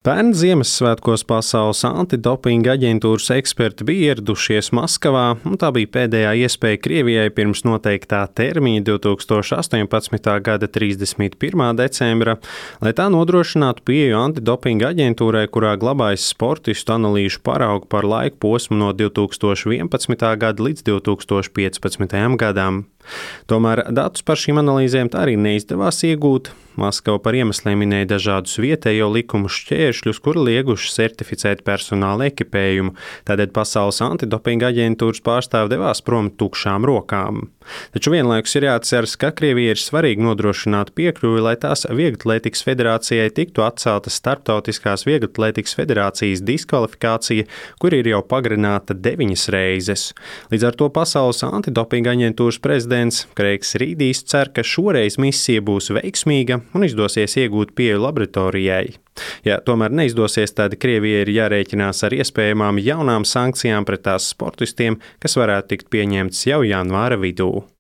Pērn Ziemassvētkos Pasaules antidopinga aģentūras eksperti bija ieradušies Maskavā, un tā bija pēdējā iespēja Krievijai pirms noteiktā termiņa 2018. gada 31. decembra, lai tā nodrošinātu pieeju antidopinga aģentūrai, kurā glabājas sportistu analīžu paraugu par laiku posmu no 2011. gada līdz 2015. gadam. Tomēr datus par šīm analīzēm tā arī neizdevās iegūt. Maskava par iemesliem minēja dažādus vietējo likumu šķēršļus, kuri lieguši certificēt personāla ekipējumu, tādēļ Pasaules antidopinga aģentūras pārstāvi devās prom tukšām rokām. Taču vienlaikus ir jāatceras, ka Krievijai ir svarīgi nodrošināt piekļuvi, lai tās Vieglatlētikas federācijai tiktu atcelta Starptautiskās Vieglatlētikas federācijas diskvalifikācija, kur ir jau pagarināta 9 reizes. Līdz ar to Pasaules antidopinga aģentūras prezidents Kreigs Rīdijs cer, ka šoreiz misija būs veiksmīga un izdosies iegūt pieeju laboratorijai. Ja tomēr neizdosies, tad Krievijai ir jārēķinās ar iespējamām jaunām sankcijām pret tās sportistiem, kas varētu tikt pieņemts jau janvāra vidū.